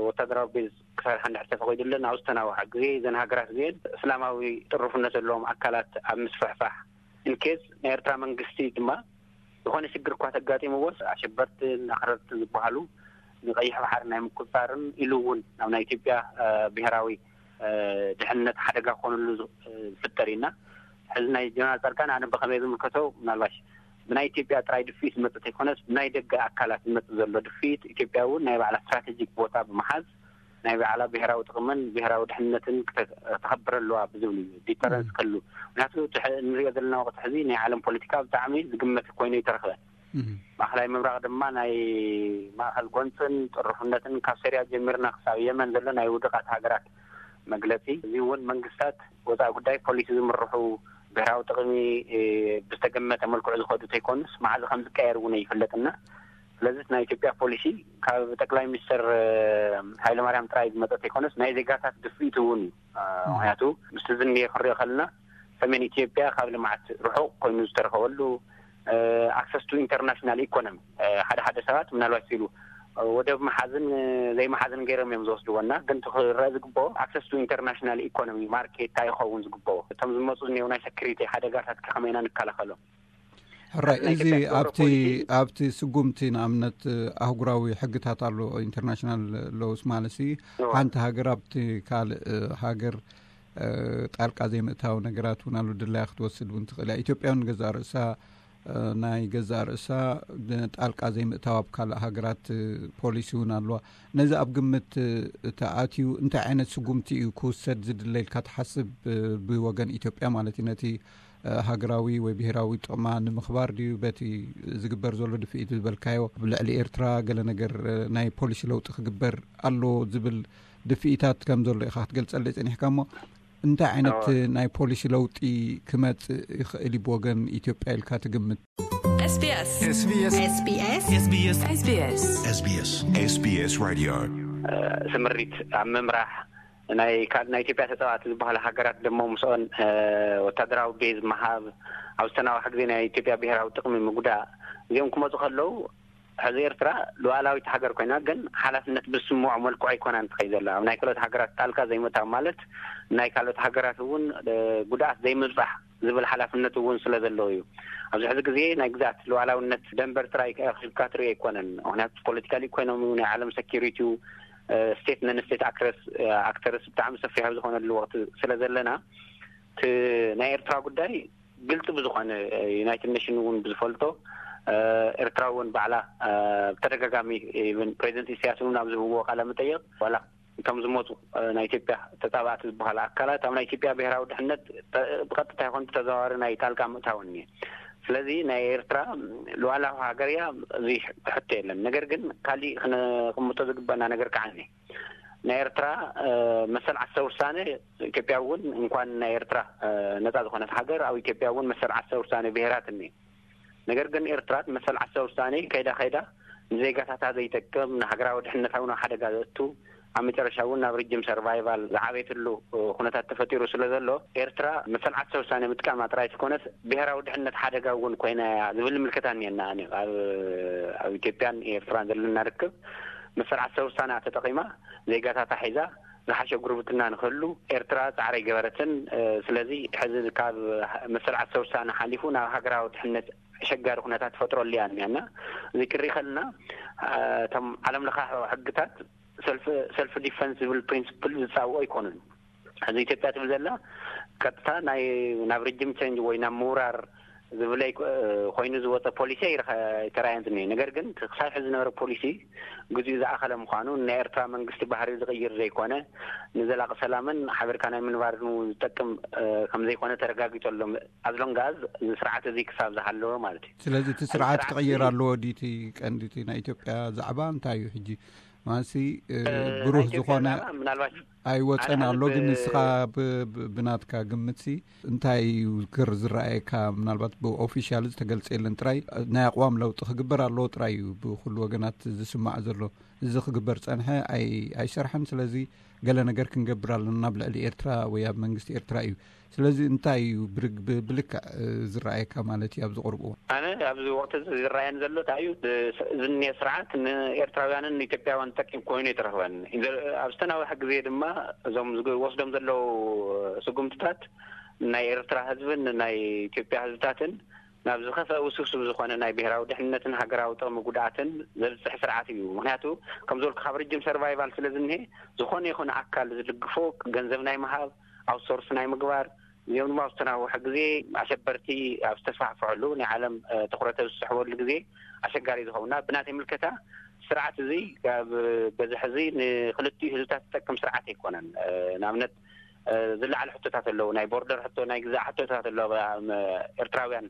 ወታደራዊ ቤዝ ክሰርሓ እንድሕር ተፈቒዱለን ኣብ ዝተናውሓ ግዜ ዘን ሃገራት እዚአን እስላማዊ ጥሩፍነት ዘለዎም ኣካላት ኣብ ምስፍሕፋሕ ኢንኬዝ ናይ ኤርትራ መንግስቲ ድማ ዝኾነ ሽግር እኳ ተጋጢምዎስ ኣሸበርትን ኣኽረርትን ዝበሃሉ ንቀይሕ ባሕሪ ናይ ምቁፅፃርን ኢሉ እውን ናብ ናይ ኢትዮጵያ ብሄራዊ ድሕንነት ሓደጋ ክኾነሉ ዝፍጠር ኢና። ሕዚ ናይ ጀነራል ፃድቃን ኣነ ብኸመይ ዝምልከቶ ምናልባሽ ብናይ ኢትዮጵያ ጥራይ ድፍኢት ዝመፅእ ተይኮነስ ብናይ ደገ ኣካላት ዝመፅእ ዘሎ ድፍኢት ኢትዮጵያ እውን ናይ ባዕላ ስትራቴጂክ ቦታ ብምሓዝ ናይ ባዕላ ብሔራዊ ጥቕምን ብሔራዊ ድሕነትን ክተ- ክተኸብር ኣለዋ ብዝብል እዩ። ዲተረንስ ከሉ ምክንያቱ እቲ ሕ- እንሪኦ ዘለና ወቅቲ ሕዚ ናይ ዓለም ፖለቲካ ብጣዕሚ ዝግመት ኮይኑ ይተረኽበ። ማእኸላይ ምብራቕ ድማ ናይ ማእኸል ጎንፅን ጥርፉነትን ካብ ሶርያ ጀሚርና ክሳብ የመን ዘሎ ናይ ውድቓት ሃገራት መግለፂ። እዚ እውን መንግስታት ወፃኢ ጉዳይ ፖሊሲ ዝምርሑ ብሄራዊ ጥቕሚ ብዝተገመተ መልክዑ ዝኸዱ ተይኮኑስ መዓዝ ከም ዝቀየር እውን ይፍለጥና። ስለዚ ናይ ኢትዮጵያ ፖሊሲ ካብ ጠቅላይ ሚኒስትር ሃይለማርያም ጥራይ ዝመፀ ተይኮነስ ናይ ዜጋታት ድፍኢት እውን እዩ። ምክንያቱ ምስቲ ዝንሄ ክንሪኦ ከለና ሰሜን ኢትዮጵያ ካብ ልምዓት ርሑቕ ኮይኑ ዝተረኸበሉ ኣክሰስ ቱ ኢንተርናሽናል ኢኮኖሚ ሓደ ሓደ ሰባት ምናልባት ሲሉ ወደብ መሓዝን ዘይመሓዝን ገይሮም እዮም ዝወስድዎ እና ግን ክረአ ዝግብኦ ኣክሰስ ቱ ኢንተርናሽናል ኢኮኖሚ ማርኬት እንታይ ይኸውን ዝግብኦ እቶም ዝመፁ ዝኒው ናይ ሰክሪቲ ሓደጋታት ከመይ ኢና ንከላኸሎም? ሕራይ እዚ ኣብቲ ኣብቲ ስጉምቲ ንኣብነት ኣህጉራዊ ሕግታት ኣሎ ኢንተርናሽናል ሎውስ ማለት ሓንቲ ሃገር ኣብቲ ካልእ ሃገር ጣልቃ ዘይምእታው ነገራት እውን ኣሎ ድላያ ክትወስድ እውን ትኽእል እያ። ኢትዮጵያ እውን ገዛእ ርእሳ ናይ ገዛእ ርእሳ ጣልቃ ዘይምእታው ኣብ ካልእ ሃገራት ፖሊሲ እውን ኣለዋ። ነዚ ኣብ ግምት ተኣትዩ እንታይ ዓይነት ስጉምቲ እዩ ክውሰድ ዝድለ ኢልካ ትሓስብ? ብወገን ኢትዮጵያ ማለት እዩ ነቲ ሃገራዊ ወይ ብሄራዊ ጥቕማ ንምኽባር ድዩ በቲ ዝግበር ዘሎ ድፍኢት ዝበልካዮ ኣብ ልዕሊ ኤርትራ ገለ ነገር ናይ ፖሊሲ ለውጢ ክግበር ኣሎ ዝብል ድፍኢታት ከም ዘሎ ኢኻ ክትገልጸለይ ጸኒሕካ እሞ እንታይ ዓይነት ናይ ፖሊሲ ለውጢ ክመጽእ ይኽእል እዩ ብወገን ኢትዮጵያ ኢልካ ትግምት? SBS SBS SBS SBS SBS SBS Radio ስምሪት ኣብ ምምራሕ ናይ ካልእ ናይ ኢትዮጵያ ተፃዋዕቲ ዝበሃሉ ሃገራት ደሞ ምስኦን ወታደራዊ ቤዝ ምሃብ ኣብ ዝተናዋሐ ግዜ ናይ ኢትዮጵያ ብሄራዊ ጥቕሚ ምጉዳእ እዚኦም ክመፁ ከለዉ ሕዚ ኤርትራ ሉዓላዊት ሃገር ኮይና ግን ሓላፍነት ብዝስምዖ መልክዑ ኣይኮናን ትኸይ ዘላ ኣብ ናይ ካልኦት ሃገራት ጣልቃ ዘይምእታው ማለት ናይ ካልኦት ሃገራት እውን ጉድኣት ዘይምብፃሕ ዝብል ሓላፍነት እውን ስለ ዘለዎ እዩ። ኣብዚ ሕዚ ግዜ ናይ ግዛት ሉዓላውነት ደንበር ጥራይ ኣኺብካ ትርኢ ኣይኮነን። ምክንያቱ ፖለቲካል ኢኮኖሚ ናይ ዓለም ሰኪሪቲ ስቴት ነን ስቴት ኣክተርስ ብጣዕሚ ሰፊሕ ኣብ ዝኾነሉ ወቅቲ ስለ ዘለና እቲ ናይ ኤርትራ ጉዳይ ግልፂ ብዝኾነ ዩናይትድ ኔሽን እውን ብዝፈልጦ ኤርትራ እውን ባዕላ ብተደጋጋሚ ፕሬዚደንት ኢሳያስ እውን ኣብ ዝህብዎ ቃለ መጠየቅ ዋላ እቶም ዝሞቱ ናይ ኢትዮጵያ ተፃባእቲ ዝበሃሉ ኣካላት ኣብ ናይ ኢትዮጵያ ብሄራዊ ድሕነት ብቀጥታ ይኾን ብተዘዋዋሪ ናይ ጣልቃ ምእታውን እየ። ስለዚ ናይ ኤርትራ ሉዓላዊ ሃገር እያ፣ እዚ ሕቶ የለን። ነገር ግን ካሊእ ክነቅምጦ ዝግበአና ነገር ከዓ እኒ ናይ ኤርትራ መሰል ዓሰ ውሳነ ኢትዮጵያ እውን እንኳን ናይ ኤርትራ ነፃ ዝኾነት ሃገር ኣብ ኢትዮጵያ እውን መሰል ዓሰ ውሳነ ብሄራት እኒ ነገር ግን ኤርትራ መሰል ዓሰ ውሳነ ከይዳ ከይዳ ንዜጋታታ ዘይጠቅም ንሃገራዊ ድሕነታዊ ናብ ሓደጋ ዘእቱ ኣብ መጨረሻ እውን ናብ ርጅም ሰርቫይቫል ዝዓበየትሉ ኩነታት ተፈጢሩ ስለ ዘሎ ኤርትራ መሰል ዓሰ ውሳነ ምጥቃማ ጥራይ ትኮነስ ብሄራዊ ድሕነት ሓደጋ እውን ኮይና እያ ዝብል ምልከታ እኒአና። ኣብ ኢትዮጵያን ኤርትራን ዘለና ርክብ መሰል ዓሰ ውሳነ ተጠቂማ ዜጋታታ ሒዛ ዝሓሸ ጉርብትና ንክህሉ ኤርትራ ፃዕሪ ኣይገበረትን። ስለዚ ሕዚ ካብ መሰል ዓሰ ውሳነ ሓሊፉ ናብ ሃገራዊ ድሕነት ኣሸጋሪ ኩነታት ትፈጥረሉ እያ እኒኣ እና እዚ ክርኢ ከለና እቶም ዓለም ለኻ ሕግታት ሰልፍ ዲፈንስ ዝብል ፕሪንስፕል ዝፃውኦ ኣይኮኑን። ሕዚ ኢትዮጵያ ትብል ዘላ ቀጥታ ናይ ናብ ሪጅም ቸንጅ ወይ ናብ ምውራር ዝብለይ ኮይኑ ዝወፀ ፖሊሲ ኣይተራእየን ዝኒሀ። ነገር ግን ክሳብ ሕዚ ዝነበረ ፖሊሲ ግዚኡ ዝኣኸለ ምዃኑ ናይ ኤርትራ መንግስቲ ባህሪ ዝቕይር ዘይኮነ ንዘላቂ ሰላምን ሓቢርካ ናይ ምንባርን ዝጠቅም ከምዘይኮነ ተረጋጊጡ ኣሎ። ኣዝሎንጋዝ እዚ ስርዓት እዚ ክሳብ ዝሃለወ ማለት እዩ። ስለዚ እቲ ስርዓት ክቕየር ኣለዎ ድዩ? እቲ ቀንዲ እቲ ናይ ኢትዮጵያ ዛዕባ እንታይ እዩ ሕጂ? ማሲ ብሩህ ዝኾነ ምናልባት ኣይወፀን ኣሎ። ግን ንስኻ ብናትካ ግምትሲ እንታይ እዩ ክር ዝረኣየካ? ምናልባት ብኦፊሻል ዝተገልፀ የለን ጥራይ ናይ ኣቕዋም ለውጢ ክግበር ኣለዎ ጥራይ እዩ ብኩሉ ወገናት ዝስማዕ ዘሎ። እዚ ክግበር ፀንሐ ኣይሰርሐን። ስለዚ ገለ ነገር ክንገብር ኣለና ናብ ልዕሊ ኤርትራ ወይ ኣብ መንግስቲ ኤርትራ እዩ። ስለዚ እንታይ እዩ ብልክዕ ዝረኣየካ ማለት እዩ ኣብዚ ቁርብ እዋን? ኣነ ኣብዚ ወቅቲ እዚ ዝረኣየን ዘሎ እንታይ እዩ ዝኒሀ ስርዓት ንኤርትራውያንን ንኢትዮጵያውያን ጠቂም ኮይኑ ኣይተረኽበን። ኣብ ዝተናወሐ ግዜ ድማ እዞም ዝወስዶም ዘለዉ ስጉምትታት ናይ ኤርትራ ህዝብን ናይ ኢትዮጵያ ህዝብታትን ናብ ዝኸፍአ ውስብስብ ዝኾነ ናይ ብሄራዊ ድሕንነትን ሃገራዊ ጥቕሚ ጉድኣትን ዘብፅሕ ስርዓት እዩ። ምክንያቱ ከም ዝበልኩ ካብ ርጅም ሰርቫይቫል ስለ ዝኒሀ ዝኾነ ይኹን ኣካል ዝድግፎ ገንዘብ ናይ ምሃብ ኣውትሶርስ ናይ ምግባር እዚኦም ድማ ኣብ ዝተናውሐ ግዜ ኣሸበርቲ ኣብ ዝተስፋሕፍሐሉ ናይ ዓለም ትኩረት ኣብ ዝስሕበሉ ግዜ ኣሸጋሪ ዝኸውና ብናተይ ምልከታ ስርዓት እዚ ካብ በዝሒ እዚ ንክልቲኡ ህዝብታት ዝጠቅም ስርዓት ኣይኮነን። ንኣብነት ዝለዓለ ሕቶታት ኣለዉ። ናይ ቦርደር ሕቶ፣ ናይ ግዛእ ሕቶታት ኣለዉ። ኤርትራውያን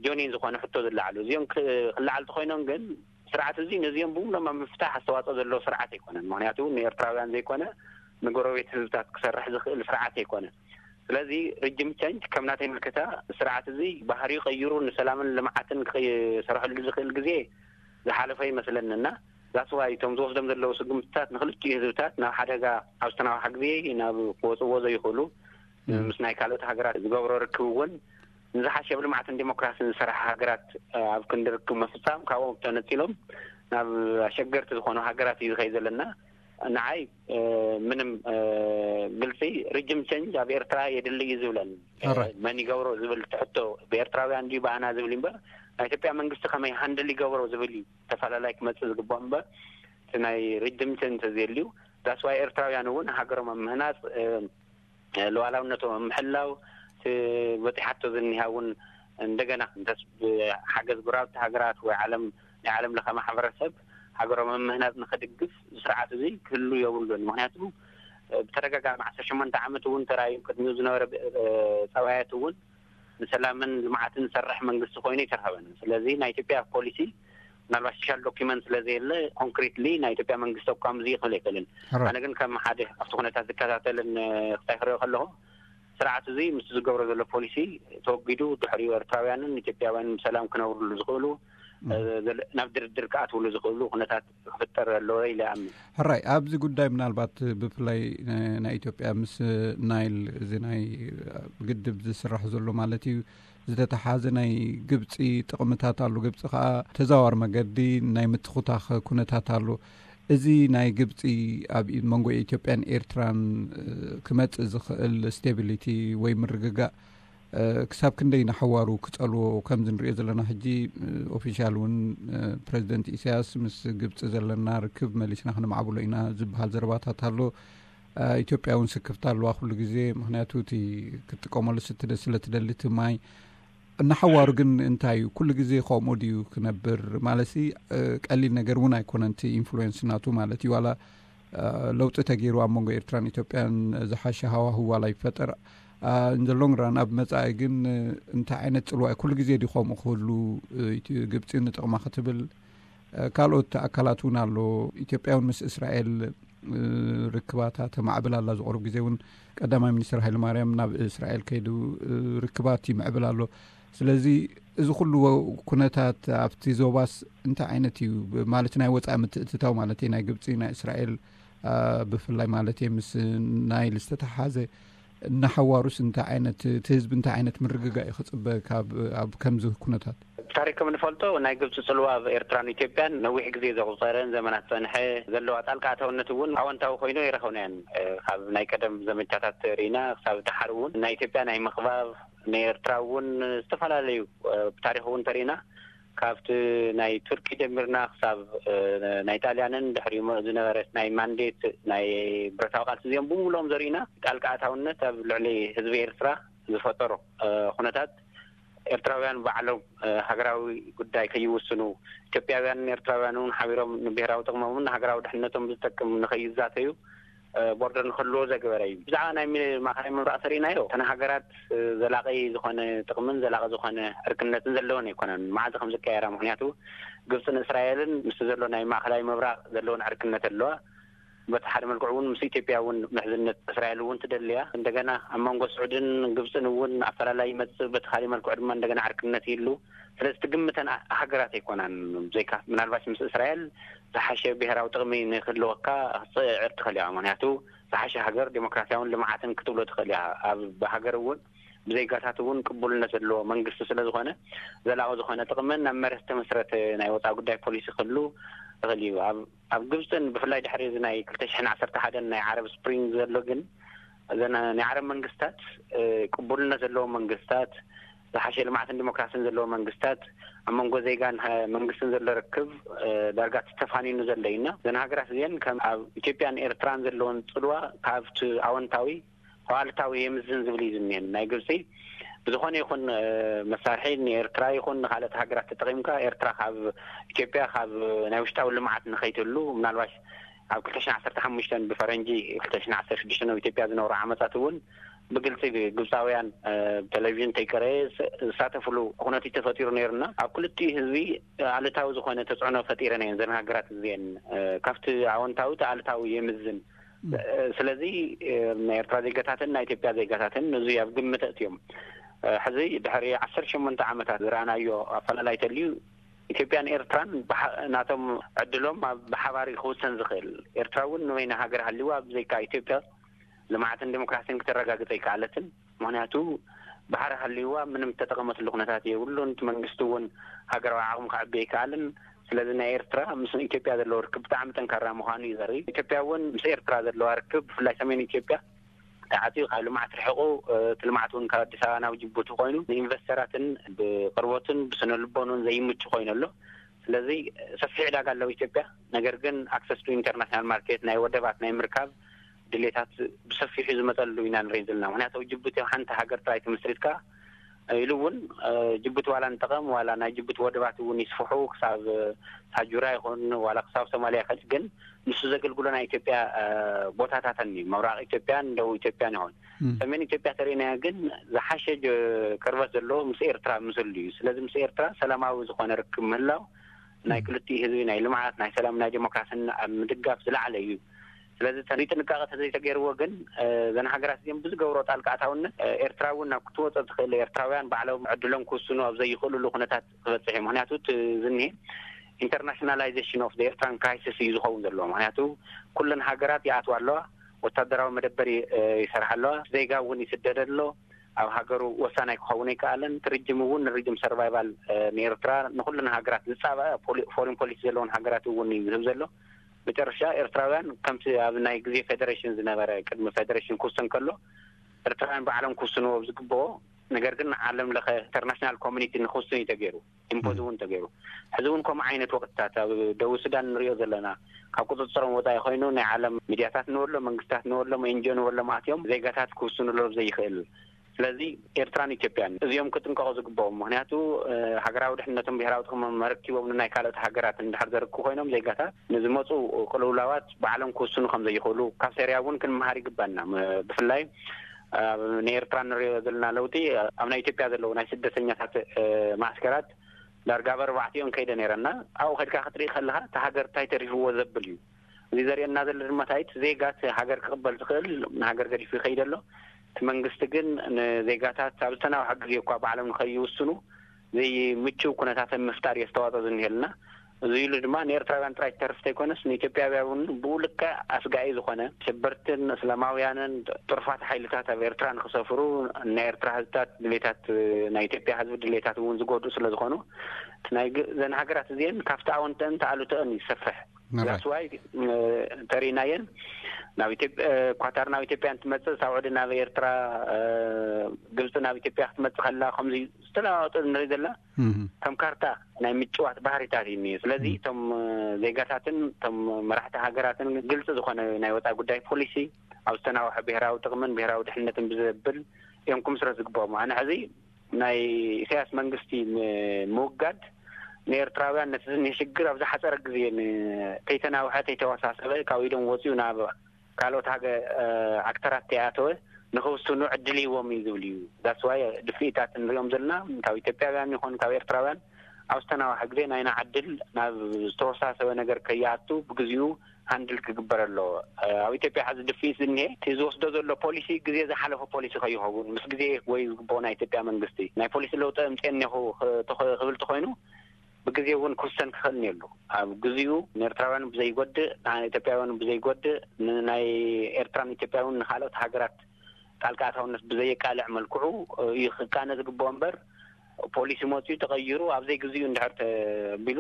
ጆኒን ዝኾነ ሕቶ ዝለዓሉ እዚኦም ክለዓሉ ተኮይኖም ግን ስርዓት እዚ ነዚኦም ብምሎም ኣብ ምፍታሕ ኣስተዋፅኦ ዘለዎ ስርዓት ኣይኮነን። ምክንያቱ ንኤርትራውያን ዘይኮነ ንጎረቤት ህዝብታት ክሰርሕ ዝኽእል ስርዓት ኣይኮነ። ስለዚ ሪጅም ቸንጅ ከም ናተይ ምልከታ ስርዓት እዚ ባህሪኡ ቀይሩ ንሰላምን ልምዓትን ክሰርሐሉ ዝኽእል ግዜ ዝሓለፈ ይመስለኒ እና that's why እቶም ዝወስዶም ዘለዉ ስጉምትታት ንክልቲኡ ህዝብታት ናብ ሓደጋ ኣብ ዝተናውሓ ግዜ ናብ ክወፅዎ ዘይኽእሉ ምስ ናይ ካልኦት ሃገራት ዝገብሮ ርክብ እውን ንዝሓሸ ብልምዓትን ዲሞክራሲን ዝሰርሓ ሃገራት ኣብ ክንዲ ርክብ ምፍፃም ካብኦም ተነፂሎም ናብ ኣሸገርቲ ዝኾኑ ሃገራት እዩ ዝኸይ ዘለና። ንዓይ ምንም ግልፂ ሪጅም ቸንጅ ኣብ ኤርትራ የድሊ እዩ ዝብለን መን ይገብሮ ዝብል ትሕቶ ብኤርትራውያን ድዩ ብኣና ዝብል እምበር ናይ ኢትዮጵያ መንግስቲ ከመይ ሃንድል ይገብሮ ዝብል እዩ ተፈላለይ ክመፅእ ዝግባእ እምበር እቲ ናይ ሪጅም ቸንጅ ተዘየልዩ that's why ኤርትራውያን እውን ሃገሮም ኣብ ምህናፅ ሉዓላውነቶም ኣብ ምሕላው እቲ በፂሓቶ ዝኒሃ እውን እንደገና እንተስ ብሓገዝ ጎረባብቲ ሃገራት ወይ ዓለም ናይ ዓለም ለኸ ማሕበረሰብ ሃገሮም ኣብ ምህናፅ ንክድግፍ ስርዓት እዚ ክህሉ የብሉን። ምክንያቱ ብተደጋጋሚ ዓሰርተ ሸሞንተ ዓመት እውን ተራእዩ ቅድሚኡ ዝነበረ ፀባያት እውን ንሰላምን ልምዓትን ዝሰርሕ መንግስቲ ኮይኑ ኣይተረኸበን። ስለዚ ናይ ኢትዮጵያ ፖሊሲ ምናልባት ስፔሻል ዶኪመንት ስለዘየለ ኮንክሪትሊ ናይ ኢትዮጵያ መንግስቲ ኣቋም እዚ ክብል ኣይክእልን። ኣነ ግን ከም ሓደ ኣብቲ ኩነታት ዝከታተልን ክታይ ክሪኦ ከለኹ ስርዓት እዚ ምስ ዝገብሮ ዘሎ ፖሊሲ ተወጊዱ ድሕሪኡ ኤርትራውያንን ኢትዮጵያውያንን ብሰላም ክነብርሉ ዝኽእሉ ናብ ድርድር ክኣትውሉ ዝኽእሉ ኩነታት ክፍጠር ኣለዎ ኢለ ኣምን። ሕራይ ኣብዚ ጉዳይ ምናልባት ብፍላይ ናይ ኢትዮጵያ ምስ ናይል እዚ ናይ ግድብ ዝስራሕ ዘሎ ማለት እዩ ዝተተሓዘ ናይ ግብፂ ጥቕምታት ኣሉ። ግብፂ ከዓ ተዛዋር መገዲ ናይ ምትኹታኽ ኩነታት ኣሉ። እዚ ናይ ግብፂ ኣብ መንጎ ኢትዮጵያን ኤርትራን ክመፅእ ዝኽእል ስቴቢሊቲ ወይ ምርግጋእ ክሳብ ክንደይ ንሓዋሩ ክፀልዎ ከምዚ ንሪኦ ዘለና ሕጂ ኦፊሻል እውን ፕሬዚደንት ኢሳያስ ምስ ግብፂ ዘለና ርክብ መሊስና ክንማዕብሎ ኢና ዝበሃል ዘረባታት ኣሎ። ኢትዮጵያ እውን ስክፍታ ኣለዋ ኩሉ ግዜ ምክንያቱ እቲ ክትጥቀመሉ ስለ ትደሊ እቲ ማይ እናሓዋሩ ግን እንታይ እዩ ኩሉ ግዜ ከምኡ ድዩ ክነብር ማለት ቀሊል ነገር እውን ኣይኮነን እቲ ኢንፍሉዌንስ ናቱ ማለት እዩ ዋላ ለውጢ ተገይሩ ኣብ መንጎ ኤርትራን ኢትዮጵያን ዝሓሸ ሃዋህው ዋላ ይፈጠር እንዘሎንግ ራን ኣብ መጻኢ ግን እንታይ ዓይነት ጽልዋ ኩሉ ግዜ ድዩ ከምኡ ክህሉ ግብፂ ንጥቕማ ክትብል ካልኦት ኣካላት እውን ኣሎ ኢትዮጵያ እውን ምስ እስራኤል ርክባታ ተማዕብል ኣላ ዝቕርብ ግዜ እውን ቀዳማይ ሚኒስትር ሃይለማርያም ናብ እስራኤል ከይዱ ርክባት ይምዕብል ኣሎ ስለዚ እዚ ኩሉ ኩነታት ኣብቲ ዞባስ እንታይ ዓይነት እዩ ማለት ናይ ወፃኢ ምትእትታው ማለት ናይ ግብፂ ናይ እስራኤል ብፍላይ ማለት ምስ ናይል ዝተተሓዘ እናሓዋሩስ እንታይ ዓይነት እቲ ህዝቢ እንታይ ዓይነት ምርግጋእ እዩ ክፅበ ካብ ኣብ ከምዚ ኩነታት ታሪክ ከም ንፈልጦ ናይ ግብፂ ፅልዋ ኣብ ኤርትራን ኢትዮጵያን ነዊሕ ግዜ ዘቁፀረን ዘመናት ፀንሐ ዘለዋ ጣልቃ ኣታውነት እውን ኣወንታዊ ኮይኑ ኣይረኸብናያን ካብ ናይ ቀደም ዘመቻታት ርኢና ክሳብ ድሓር እውን ናይ ኢትዮጵያ ናይ ምኽባብ ናይ ኤርትራ እውን ዝተፈላለዩ ብታሪክ እውን ተርኢና ካብቲ ናይ ቱርኪ ጀሚርና ክሳብ ናይ ጣልያንን ድሕሪ ዝነበረ ናይ ማንዴት ናይ ብረታዊ ቃልሲ እዚኦም ብምሎም ዘርኢና ጣልቃ ኣታውነት ኣብ ልዕሊ ህዝቢ ኤርትራ ዝፈጠሮ ኩነታት ኤርትራውያን ባዕሎም ሃገራዊ ጉዳይ ከይውስኑ ኢትዮጵያውያንን ኤርትራውያን እውን ሓቢሮም ንብሄራዊ ጥቕሞምን ንሃገራዊ ድሕነቶም ዝጠቅም ንከይዛተዩ ቦርደር ንክህልዎ ዘገበረ እዩ። ብዛዕባ ናይ ማእኸላይ ምብራቕ ተሪእናዮ እተን ሃገራት ዘላቒ ዝኾነ ጥቕምን ዘላቒ ዝኾነ ዕርክነትን ዘለወን ኣይኮነን። መዓልቲ ከም ዝቀየራ ምክንያቱ ግብፅን እስራኤልን ምስቲ ዘሎ ናይ ማእኸላይ ምብራቕ ዘለወን ዕርክነት ኣለዋ። በቲ ሓደ መልክዑ እውን ምስ ኢትዮጵያ እውን ምሕዝነት እስራኤል እውን ትደልያ እንደገና ኣብ መንጎ ስዑድን ግብፅን እውን ኣፈላላይ ይመፅእ በቲ ካሊእ መልክዑ ድማ እንደገና ዕርክነት ይህሉ ስለዚ ትግምተን ሃገራት ኣይኮናን ዘይካ ምናልባሽ ምስ እስራኤል ዝሓሸ ብሄራዊ ጥቕሚ ንክህልወካ ክፅዕር ትኽእል እያ ምክንያቱ ዝሓሸ ሃገር ዴሞክራሲያውን ልምዓትን ክትብሎ ትኽእል እያ ኣብ ሃገር እውን ብዜጋታት እውን ቅቡልነት ዘለዎ መንግስቲ ስለ ዝኾነ ዘላቒ ዝኾነ ጥቕምን ናብ መሬት ዝተመስረተ ናይ ወፃኢ ጉዳይ ፖሊሲ ክህሉ ይኽእል እዩ ኣብ ግብፅን ብፍላይ ድሕሪ እዚ ናይ ክልተ ሽሕን ዓሰርተ ሓደን ናይ ዓረብ ስፕሪንግ ዘሎ ግን እዘን ናይ ዓረብ መንግስታት ቅቡልነት ዘለዎ መንግስታት ዝሓሸ ልምዓትን ዲሞክራሲን ዘለዎ መንግስታት ኣብ መንጎ ዜጋን መንግስትን ዘሎ ርክብ ዳርጋ ተፋኒኑ ዘሎ እዩ እና እዘን ሃገራት እዚአን ከም ኣብ ኢትዮጵያን ኤርትራን ዘለወን ፅልዋ ካብቲ ኣወንታዊ ኣሉታዊ የምዝን ዝብል እዩ ዝኒሀን ናይ ግብፂ ብዝኾነ ይኹን መሳርሒ ንኤርትራ ይኹን ንካልኦት ሃገራት ተጠቒምካ ኤርትራ ካብ ኢትዮጵያ ካብ ናይ ውሽጣዊ ልምዓት ንኸይትህሉ ምናልባሽ ኣብ ክልተ ሽሕን ዓሰርተ ሓሙሽተን ብፈረንጂ ክልተ ሽሕን ዓሰርተ ሽዱሽተን ኣብ ኢትዮጵያ ዝነበሩ ዓመጻት እውን ብግልጺ ግብጻውያን ብቴሌቪዥን ተይቀረየ ዝሳተፍሉ ኩነት ተፈጢሩ ነይሩና። ኣብ ክልቲኡ ህዝቢ ኣሉታዊ ዝኾነ ተጽዕኖ ፈጢረን እየን ዘን ሃገራት እዚአን። ካብቲ ኣወንታዊ እቲ ኣሉታዊ የምዝን። ስለዚ ናይ ኤርትራ ዜጋታትን ናይ ኢትዮጵያ ዜጋታትን እዚ ኣብ ግምት ኣእትዮም። ሕዚ ድሕሪ ዓሰርተ ሸሞንተ ዓመታት ዝረኣናዮ ኣፈላላይ ተልዩ ኢትዮጵያን ኤርትራን ናቶም ዕድሎም ብሓባር ክውሰን ዝኽእል፣ ኤርትራ እውን ንበይና ሃገር ሃልይዋ ብዘይካ ኢትዮጵያ ልምዓትን ዲሞክራሲን ክተረጋግጽ ኣይከኣለትን። ምክንያቱ ባሕሪ ሃልይዋ ምንም እተጠቐመትሉ ኩነታት የብሉን። እቲ መንግስቲ እውን ሃገራዊ ዓቕሚ ከዕቢ ኣይከኣልን። ስለዚ ናይ ኤርትራ ምስ ኢትዮጵያ ዘለዎ ርክብ ብጣዕሚ ጠንካራ ምዃኑ እዩ ዘርኢ። ኢትዮጵያ እውን ምስ ኤርትራ ዘለዋ ርክብ ብፍላይ ሰሜን ኢትዮጵያ ተዓፅዩ ካብ ልምዓት ርሒቑ እቲ ልምዓት እውን ካብ ኣዲስ ኣበባ ናብ ጅቡቲ ኮይኑ ንኢንቨስተራትን ብቅርቦትን ብስነ ልቦኑን ዘይምቹ ኮይኑ ኣሎ። ስለዚ ሰፊሕ ዕዳጋ ኣለዎ ኢትዮጵያ። ነገር ግን ኣክሰስ ቱ ኢንተርናሽናል ማርኬት ናይ ወደባት ናይ ምርካብ ድሌታት ብሰፊሑ ዝመፀሉ ኢና ንርኢ ዘለና። ምክንያቱ ጅቡቲ ሓንቲ ሃገር ጥራይ ተመስሪትካ ኢሉ እውን ጅቡቲ ዋላ ንጠቐም ዋላ ናይ ጅቡቲ ወደባት እውን ይስፍሑ ክሳብ ታጁራ ይኹን ዋላ ክሳብ ሶማሊያ ይኸድ ግን ንሱ ዘገልግሎ ናይ ኢትዮጵያ ቦታታተን እዩ። ምብራቕ ኢትዮጵያን ደቡብ ኢትዮጵያን ይኹን ሰሜን ኢትዮጵያ ተርእናያ ግን ዝሓሸ ቅርበት ዘለዎ ምስ ኤርትራ ምስሉ እዩ። ስለዚ ምስ ኤርትራ ሰላማዊ ዝኾነ ርክብ ምህላው ናይ ክልቲኡ ህዝቢ ናይ ልምዓት ናይ ሰላም ናይ ዲሞክራሲን ኣብ ምድጋፍ ዝለዓለ እዩ። ስለዚ ተሪ ጥንቃቐ ተዘይተገይርዎ ግን ዘን ሃገራት እዚኦም ብዝገብሮ ጣልቃ ኣታውነት ኤርትራ እውን ናብ ክትወፀ ትኽእል ኤርትራውያን ባዕሎም ዕድሎም ክውስኑ ኣብ ዘይኽእልሉ ኩነታት ክበፅሕ እዩ። ምክንያቱ ዝኒሄ ኢንተርናሽናላይዜሽን ኦፍ ኤርትራን ክራይሲስ እዩ ዝኸውን ዘለዎ። ምክንያቱ ኩለን ሃገራት ይኣትዋ ኣለዋ፣ ወታደራዊ መደበር ይሰርሓ ኣለዋ፣ ዜጋ እውን ይስደደ ኣሎ፣ ኣብ ሃገሩ ወሳናይ ክኸውን ኣይከኣለን። ትርጅም እውን ንርጅም ሰርቫይቫል ንኤርትራ ንኩለን ሃገራት ዝፃበ ፎሪን ፖሊሲ ዘለውን ሃገራት እውን እዩ ዝህብ ዘሎ። መጨረሻ ኤርትራውያን ከምቲ ኣብ ናይ ግዜ ፌደሬሽን ዝነበረ ቅድሚ ፌደሬሽን ክውሰን ከሎ ኤርትራውያን ባዕሎም ክውስንዎ ዝግብኦ ነገር ግን ዓለም ለኸ ኢንተርናሽናል ኮሚኒቲ ንክውስን እዩ ተገይሩ። ኢምፖዝ እውን ተገይሩ። ሕዚ እውን ከምኡ ዓይነት ወቅትታት ኣብ ደቡብ ሱዳን ንሪኦ ዘለና ካብ ቁፅፅሮም ወፃኢ ኮይኑ ናይ ዓለም ሚድያታት ንበሎ መንግስታት ንበሎም ኤንጂኦ ንበሎም ኣትዮም ዜጋታት ክውስኑ ሎ ዘይኽእል። ስለዚ ኤርትራን ኢትዮጵያን እዚኦም ክጥንቀቑ ዝግብኦም ምክንያቱ ሃገራዊ ድሕነቶም ብሄራዊ ጥቕሞም መረኪቦም ንናይ ካልኦት ሃገራት እንድሕር ዘርክቡ ኮይኖም ዜጋታት ንዝመፁ ቅልውላዋት ባዕሎም ክውስኑ ከም ዘይኽእሉ ካብ ሴርያ እውን ክንመሃር ይግባና። ብፍላይ ንኤርትራ ንሪኦ ዘለና ለውጢ ኣብ ናይ ኢትዮጵያ ዘለዉ ናይ ስደተኛታት ማእስከራት ዳርጋ ኣብ ኣርባዕቲኦም ከይደ ነይረና ኣብኡ ከድካ ክትርኢ ከለካ እቲ ሃገር እንታይ ተሪፍዎ ዘብል እዩ። እዚ ዘርእየና ዘሎ ድማ ታይት ዜጋት ሃገር ክቕበል ዝኽእል ንሃገር ገዲፉ ይኸይድ ኣሎ። እቲ መንግስቲ ግን ንዜጋታት ኣብ ዝተናውሐ ግዜ እኳ ባዕሎም ንኸይውስኑ ዘይምችው ኩነታትን ምፍጣር የስተዋፅኦ ዝኒሄልና። እዚ ኢሉ ድማ ንኤርትራውያን ጥራይ ተርፍ ዘይኮነስ ንኢትዮጵያውያን እውን ብኡ ልክዕ ኣስጋኢ ዝኾነ ሽበርትን እስላማውያንን ጥርፋት ሓይልታት ኣብ ኤርትራ ንክሰፍሩ ናይ ኤርትራ ህዝብታት ድሌታት ናይ ኢትዮጵያ ህዝቢ ድሌታት እውን ዝጎድኡ ስለ ዝኾኑ ናይ ዘን ሃገራት እዚአን ካብቲ ኣወንተን ተኣሉተአን ይሰፍሕ። ዳስዋይ ተሪናየን ናብ ኢትዮጵያ ኳታር ናብ ኢትዮጵያ እንትመፅእ ሳውዕዲ ናብ ኤርትራ ግብፂ ናብ ኢትዮጵያ ክትመፅእ ከላ ከምዚ ዝተለዋወጠ ንርኢ ዘለና ከም ካርታ ናይ ምጭዋት ባህሪታት እዩ እኒኦ። ስለዚ እቶም ዜጋታትን እቶም መራሕቲ ሃገራትን ግልፂ ዝኾነ ናይ ወፃኢ ጉዳይ ፖሊሲ ኣብ ዝተናውሐ ብሄራዊ ጥቕምን ብሄራዊ ድሕነትን ብዘብል እዮም ክምስረት ዝግብኦም። ኣነ ሕዚ ናይ ኢሳያስ መንግስቲ ምውጋድ ንኤርትራውያን ነቲ ዝኒህ ሽግር ኣብ ዝሓፀረ ግዜ ከይተናውሐ ከይተወሳሰበ ካብ ኢዶም ወፂኡ ናብ ካልኦት ሃገ ኣክተራት ተይኣተወ ንክውስኑ ዕድል ይዎም እዩ ዝብል እዩ። ዳስዋይ ድፍኢታት ንሪኦም ዘለና ካብ ኢትዮጵያውያን ይኹን ካብ ኤርትራውያን ኣብ ዝተናዋሐ ግዜ ናይና ዕድል ናብ ዝተወሳሰበ ነገር ከይኣቱ ብግዚኡ ሃንድል ክግበር ኣለዎ። ኣብ ኢትዮጵያ ሕዚ ድፍኢት ዝኒሄ እቲ ዝወስዶ ዘሎ ፖሊሲ ግዜ ዝሓለፎ ፖሊሲ ከይኸውን ምስ ግዜ ወይ ዝግብኦ ናይ ኢትዮጵያ መንግስቲ ናይ ፖሊሲ ለውጢ እምፅእ እኒኹ ክብል ተኮይኑ ብግዜ እውን ክውሰን ክኽእል እኒሀሉ። ኣብ ግዚኡ ንኤርትራውያን ብዘይጎድእ ንኢትዮጵያውያን ብዘይጎድእ ንናይ ኤርትራን ኢትዮጵያውን ንካልኦት ሃገራት ጣልቃ ኣታውነት ብዘየቃልዕ መልክዑ እዩ ክቃነ ዝግብኦ እምበር ፖሊሲ መፅኡ ተቐይሩ ኣብ ዘይግዚኡ እንድሕር ተቢሉ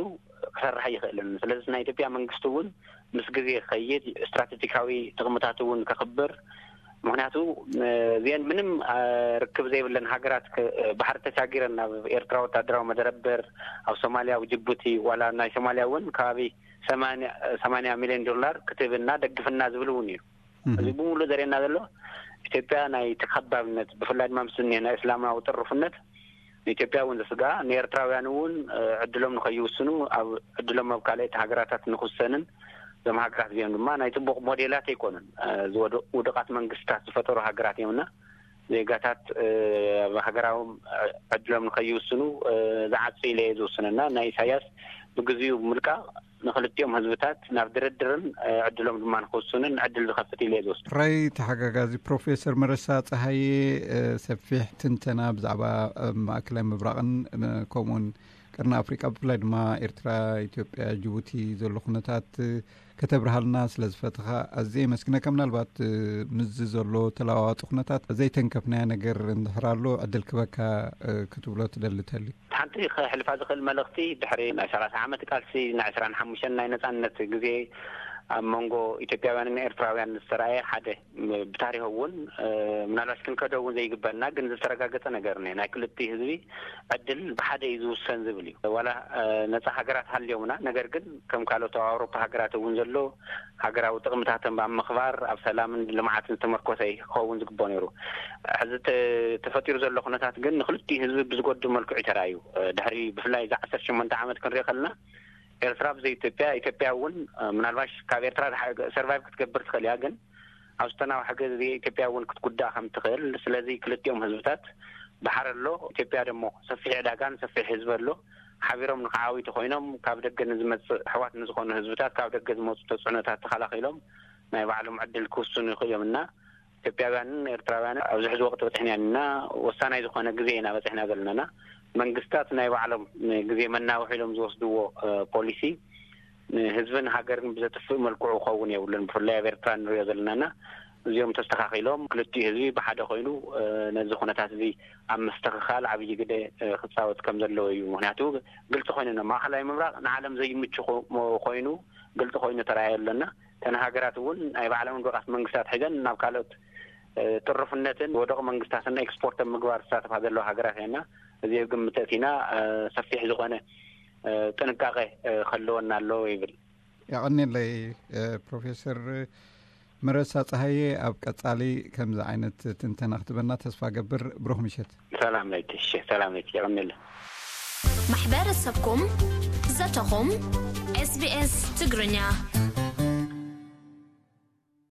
ክሰርሕ ኣይኽእልን። ስለዚ ናይ ኢትዮጵያ መንግስቲ እውን ምስ ግዜ ክኸይድ ስትራቴጂካዊ ጥቕምታት እውን ከኽብር ምክንያቱ እዚአን ምንም ርክብ ዘይብለን ሃገራት ባሕሪ ተሻጊረን ናብ ኤርትራ ወታደራዊ መደረበር ኣብ ሶማልያ ኣብ ጅቡቲ ዋላ ናይ ሶማልያ እውን ከባቢ ሰማንያ ሚሊዮን ዶላር ክትህብና ደግፍና ዝብል እውን እዩ። እዚ ብምሉእ ዘርእየና ዘሎ ኢትዮጵያ ናይ ተኸባብነት፣ ብፍላይ ድማ ምስ እኒሀ ናይ እስላማዊ ጥርፉነት ንኢትዮጵያ እውን ዘስግኣ፣ ንኤርትራውያን እውን ዕድሎም ንኸይውስኑ፣ ኣብ ዕድሎም ኣብ ካልኦት ሃገራታት ንኽውሰንን፣ እዞም ሃገራት እዚኦም ድማ ናይ ጽቡቕ ሞዴላት ኣይኮኑን። ዝወደ ውድቓት መንግስታት ዝፈጠሩ ሃገራት እዮም እና ዜጋታት ኣብ ሃገራዎም ዕድሎም ንኸይውስኑ ዝዓጽ ኢለ እየ ዝውስንና። ናይ ኢሳያስ ብግዚኡ ምልቃቕ ንኽልቲኦም ህዝብታት ናብ ድርድርን ዕድሎም ድማ ንኽውስኑን ዕድል ዝኸፍት ኢለ እየ ዝወስድ። ራይ ተሓጋጋዚ ፕሮፌሰር መረሳ ፀሃየ ሰፊሕ ትንተና ብዛዕባ ማእከላይ ምብራቕን ከምኡውን ቀርኒ ኣፍሪቃ፣ ብፍላይ ድማ ኤርትራ፣ ኢትዮጵያ፣ ጅቡቲ ዘሎ ኩነታት ከተብርሃልና ስለ ዝፈትኻ ኣዝየ የመስግነካ። ምናልባት ምስዚ ዘሎ ተለዋዋጢ ኩነታት ዘይተንከፍናዮ ነገር እንድሕር ኣሎ ዕድል ክበካ ክትብሎ ትደሊ ተሊ? ሓንቲ ከሕልፋ ዝኽእል መልእኽቲ፣ ድሕሪ ናይ ሰላሳ ዓመት ቃልሲ፣ ናይ ዕስራን ሓሙሽተን ናይ ነጻነት ግዜ ኣብ መንጎ ኢትዮጵያውያንን ኤርትራውያን ዝተረኣየ ሓደ፣ ብታሪኽ እውን ምናልባሽ ክንከዶ እውን ዘይግበና ግን ዝተረጋገጸ ነገር ነ ናይ ክልቲ ህዝቢ ዕድል ብሓደ እዩ ዝውሰን ዝብል እዩ። ዋላ ነጻ ሃገራት ሃልዮምና፣ ነገር ግን ከም ካልኦት ኣብ ኣውሮፓ ሃገራት እውን ዘሎ ሃገራዊ ጥቕምታትን ኣብ ምኽባር ኣብ ሰላምን ልምዓትን ዝተመርኮሰ ክኸውን ዝግብኦ ነይሩ። ሕዚ ተፈጢሩ ዘሎ ኩነታት ግን ንክልቲኡ ህዝቢ ብዝጎድእ መልክዑ እዩ ተራእዩ። ድሕሪ ብፍላይ እዚ ዓሰርተ ሸሞንተ ዓመት ክንሪኦ ከለና ኤርትራ ብዘይ ኢትዮጵያ፣ ኢትዮጵያ እውን ምናልባሽ ካብ ኤርትራ ሰርቫይቭ ክትገብር ትኽእል እያ፣ ግን ኣብ ዝተናውሐ ግዜ ኢትዮጵያ እውን ክትጉዳእ ከም ትኽእል። ስለዚ ክልቲኦም ህዝብታት ባሕሪ ኣሎ፣ ኢትዮጵያ ደሞ ሰፊሕ ዕዳጋን ሰፊሕ ህዝቢ ኣሎ። ሓቢሮም ንክዓብዩ ተኮይኖም ካብ ደገ ንዝመፅእ ኣሕዋት ንዝኾኑ ህዝብታት ካብ ደገ ዝመፁ ተፅዕኖታት ተኸላኺሎም ናይ ባዕሎም ዕድል ክውስኑ ይኽእሉ እዮም እና ኢትዮጵያውያንን ኤርትራውያንን ኣብዚ ሕዚ ወቅቲ በፂሕና ኢና። ወሳናይ ዝኾነ ግዜ ኢና በፂሕና ዘለናና። መንግስታት ናይ ባዕሎም ግዜ መናውሒ ኢሎም ዝወስድዎ ፖሊሲ ንህዝብን ሃገርን ብዘጥፍእ መልክዑ ክኸውን የብሉን። ብፍላይ ኣብ ኤርትራ ንሪኦ ዘለናና እዚኦም ተስተኻኺሎም ክልቲኡ ህዝቢ ብሓደ ኮይኑ ነዚ ኩነታት እዚ ኣብ ምስትኽኻል ዓብዪ ግደ ክፃወት ከም ዘለዎ እዩ። ምክንያቱ ግልፂ ኮይኑ ነ ማእኸላይ ምብራቕ ንዓለም ዘይምቹ ኮይኑ ግልፂ ኮይኑ ተረኣየ ኣለና። እተን ሃገራት እውን ናይ ባዕሎም ብቓት መንግስታት ሒዘን ናብ ካልኦት ጥርፍነትን ወደቕ መንግስታትን ኤክስፖርት ኣብ ምግባር ዝሳተፋ ዘለዋ ሃገራት እየና። እዚ ግምት እቲና ሰፊሕ ዝኾነ ጥንቃቄ ከለወና ኣለዎ ይብል። ያቐኒለይ ፕሮፌሰር መረሳ ፀሃየ፣ ኣብ ቀፃሊ ከምዚ ዓይነት ትንተና ክትበና ተስፋ ገብር። ብሩኽ ምሸት። ሰላም ለይቲ። እሺ፣ ሰላም ለይቲ። ያቐኒለ። ማሕበረሰብኩም ዘተኹም ኤስቢኤስ ትግርኛ።